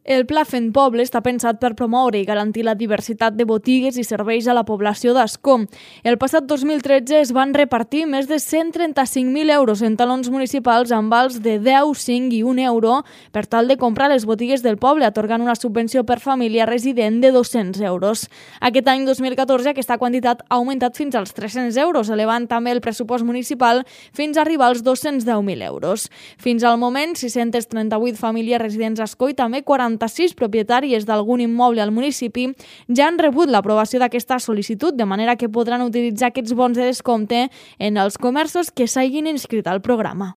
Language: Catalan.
El Pla Fent Poble està pensat per promoure i garantir la diversitat de botigues i serveis a la població d'Ascó. El passat 2013 es van repartir més de 135.000 euros en talons municipals amb vals de 10, 5 i 1 euro per tal de comprar les botigues del poble, atorgant una subvenció per família resident de 200 euros. Aquest any 2014 aquesta quantitat ha augmentat fins als 300 euros, elevant també el pressupost municipal fins a arribar als 210.000 euros. Fins al moment, 638 famílies residents a Ascó i també 46 propietàries d'algun immoble al municipi ja han rebut l'aprovació d'aquesta sol·licitud, de manera que podran utilitzar aquests bons de descompte en els comerços que s'hagin inscrit al programa.